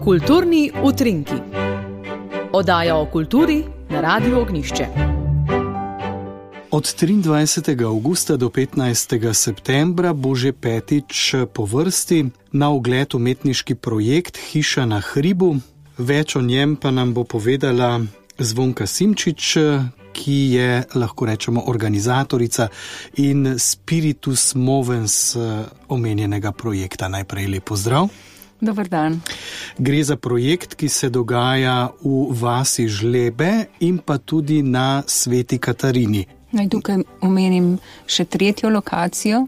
Kulturni utrinki. Oddaja o kulturi na Radiu Ognjišče. Od 23. avgusta do 15. septembra bo že petič po vrsti na ogled umetniški projekt Hiša na hribu. Več o njem pa nam bo povedala Zvonka Simčič, ki je, lahko rečemo, organizatorica in spiritus movens omenjenega projekta. Najprej lep pozdrav. Dobar dan. Gre za projekt, ki se dogaja v vasi Žlebe in pa tudi na Sveti Katarini. Naj tukaj omenim še tretjo lokacijo,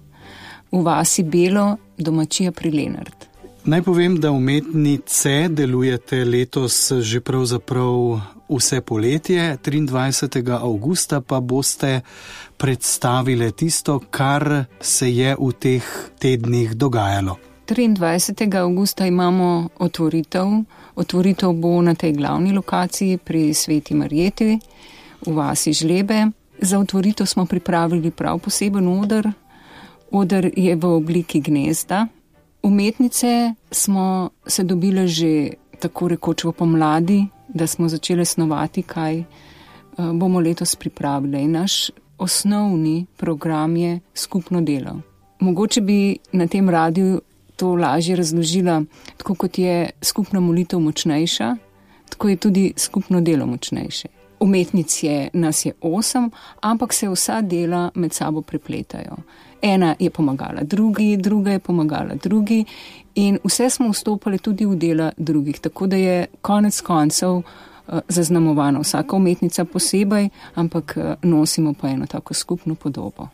v vasi Belo, domačija pri Lenart. Naj povem, da umetnice delujete letos že pravzaprav vse poletje, 23. avgusta pa boste predstavile tisto, kar se je v teh tednih dogajalo. 23. avgusta imamo otvoritev. Otvoritev bo na tej glavni lokaciji pri Sveti Marjeti v vasi Žlebe. Za otvoritev smo pripravili prav poseben oder. Oder je v obliki gnezda. Umetnice smo se dobile že tako rekoč v pomladi, da smo začeli snovati, kaj bomo letos pripravili. Naš osnovni program je skupno delo. Mogoče bi na tem radiju to lažje razložila, tako kot je skupna molitev močnejša, tako je tudi skupno delo močnejše. Umetnic nas je 8, ampak se vsa dela med sabo prepletajo. Ena je pomagala drugi, druga je pomagala drugi in vse smo vstopali tudi v dela drugih, tako da je konec koncev zaznamovana vsaka umetnica posebej, ampak nosimo pa eno tako skupno podobo.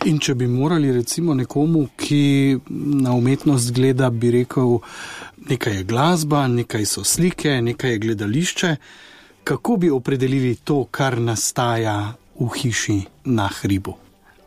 In če bi morali recimo nekomu, ki na umetnost gleda, bi rekel, nekaj je glasba, nekaj so slike, nekaj je gledališče, kako bi opredelili to, kar nastaja v hiši na hribu?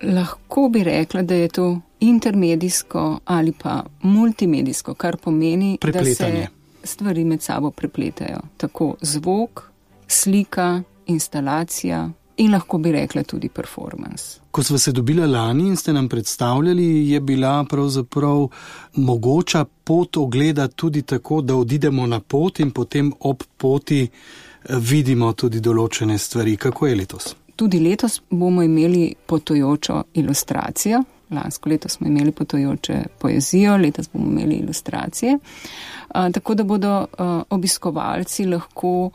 Lahko bi rekla, da je to intermedijsko ali pa multimedijsko, kar pomeni, prepletanje. Da se stvari med sabo prepletajo. Tako zvok, slika, instalacija in lahko bi rekla tudi performance. Ko sva se dobila lani in ste nam predstavljali, je bila pravzaprav mogoča pot ogleda tudi tako, da odidemo na pot in potem ob poti vidimo tudi določene stvari. Kako je letos? Tudi letos bomo imeli potujočo ilustracijo. Lansko leto smo imeli potujoče poezijo, letos bomo imeli ilustracije. Tako da bodo obiskovalci lahko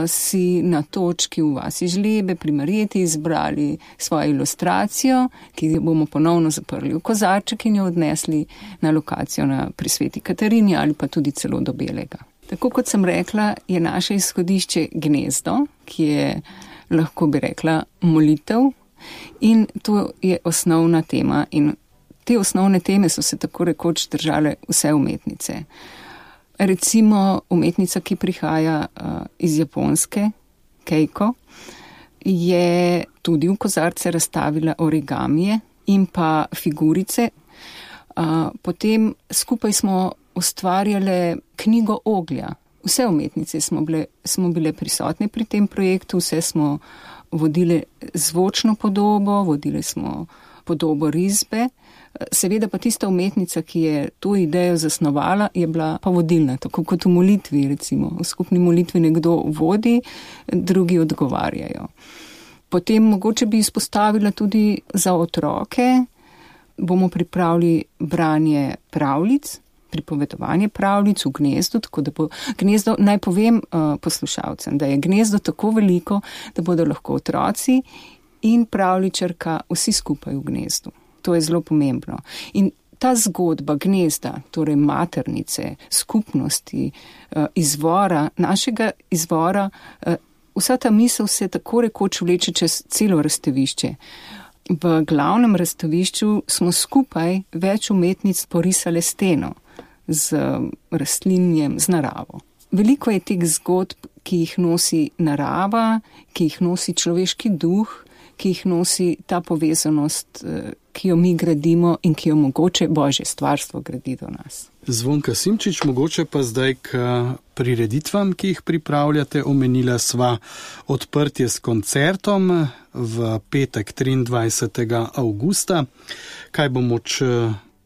si na točki v vasi Žlebe pri Marjeti izbrali svojo ilustracijo, ki jo bomo ponovno zaprli v kozarček in jo odnesli na lokacijo pri Sveti Katarini ali pa tudi celo do Belega. Tako kot sem rekla, je naše izhodišče gnezdo, ki je, lahko bi rekla, molitev. In to je osnovna tema in te osnovne teme so se tako rekoč držale vse umetnice. Recimo umetnica, ki prihaja iz Japonske, Keiko, je tudi v kozarce razstavila origamije in pa figurice. Potem skupaj smo ustvarjale knjigo oglja. Vse umetnice smo bile prisotne pri tem projektu, vse smo vodili zvočno podobo, vodili smo podobo risbe. Seveda pa tista umetnica, ki je to idejo zasnovala, je bila pa vodilna, tako kot v molitvi, recimo. V skupni molitvi nekdo vodi, drugi odgovarjajo. Potem mogoče bi izpostavila tudi za otroke, bomo pripravili branje pravljic, pripovedovanje pravljic v gnezdu, tako da bo gnezdo, naj povem poslušalcem, da je gnezdo tako veliko, da bodo lahko otroci in pravljičarka vsi skupaj v gnezdu. To je zelo pomembno. In ta zgodba gnezda, torej maternice, skupnosti, izvora, našega izvora, vsa ta misel se tako rekoč vleče čez celo razstavišče. V glavnem razstavišču smo skupaj več umetnic porisale steno z rastlinjem, z naravo. Veliko je teh zgodb, ki jih nosi narava, ki jih nosi človeški duh, ki jih nosi ta povezanost, ki jo mi gradimo in ki jo mogoče Božje stvarstvo gradi do nas. Zvonka Simčič, mogoče pa zdaj k prireditvam, ki jih pripravljate. Omenila sva odprtje s koncertom v petek 23. avgusta. Kaj bo moč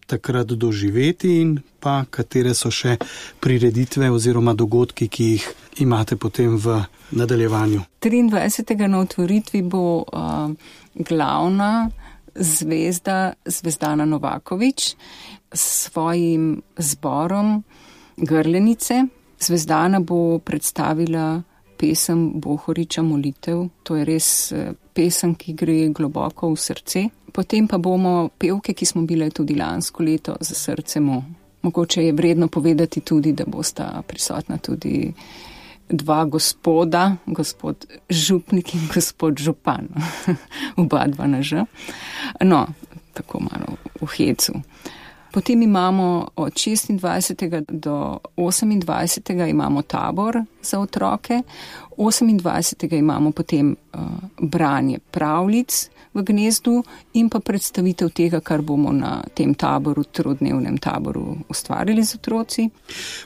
takrat doživeti in pa katere so še prireditve oziroma dogodki, ki jih imate potem v nadaljevanju. 23. na otvoritvi bo glavna zvezda Zvezdana Novaković s svojim zborom Grlenice. Zvezdana bo predstavila pesem Bohoriča Molitev. To je res pesem, ki gre globoko v srce. Potem pa bomo pevke, ki smo bile tudi lansko leto za srcem. Mogoče je vredno povedati tudi, da bosta prisotna tudi dva gospoda, gospod župnik in gospod župan. Oba dva na Ž. No, tako malo v hecu. Potem imamo od 26. do 28. imamo tabor za otroke, 28. imamo potem branje pravljic v gnezdu in pa predstavitev tega, kar bomo na tem taboru, trodnevnem taboru ustvarili z otroci.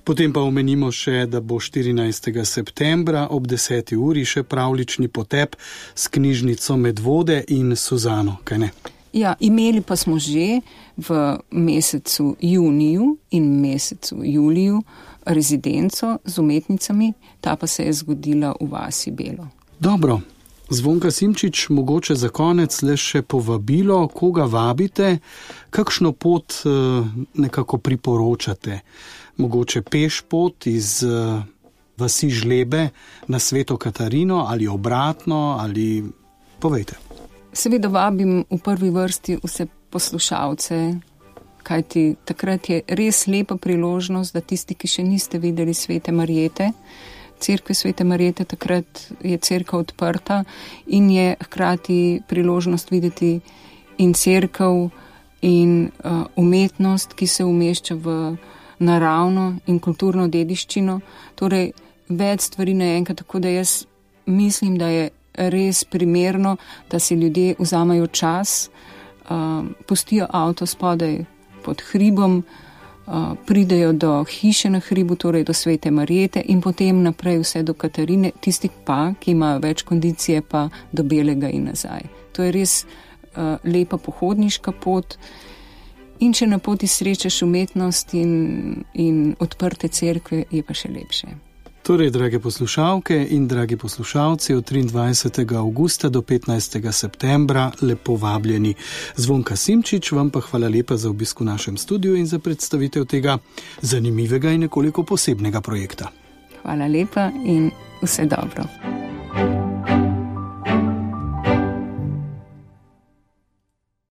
Potem pa omenimo še, da bo 14. septembra ob 10. uri še pravljični potep s knjižnico Medvode in Suzano, kaj ne? Ja, imeli pa smo že v mesecu juniju in mesecu juliju rezidenco z umetnicami, ta pa se je zgodila v vasi Belo. Dobro, Zvonka Simčič, mogoče za konec le še povabilo, koga vabite, kakšno pot nekako priporočate, mogoče peš pot iz vasi Žlebe na Sveto Katarino ali obratno, ali povejte. Seveda vabim v prvi vrsti vse poslušalce, kajti takrat je res lepa priložnost, da tisti, ki še niste videli Svete Marjete, cerkve Svete Marjete, takrat je cerkev odprta in je hkrati priložnost videti in cerkev in umetnost, ki se umešča v naravno in kulturno dediščino. Torej, več stvari naenkrat, tako da jaz mislim, da je res primerno, da si ljudje vzamajo čas, pustijo avto spodaj pod hribom, pridejo do hiše na hribu, torej do Svete Marjete in potem naprej vse do Katarine, tisti pa, ki imajo več kondicije, pa do Belega in nazaj. To je res lepa pohodniška pot in če na poti srečaš umetnost in odprte cerkve, je pa še lepše. Torej, drage poslušalke in dragi poslušalci, od 23. avgusta do 15. septembra lepo vabljeni. Zvonka Simčič, vam pa hvala lepa za obisk v našem studiu in za predstavitev tega zanimivega in nekoliko posebnega projekta. Hvala lepa in vse dobro.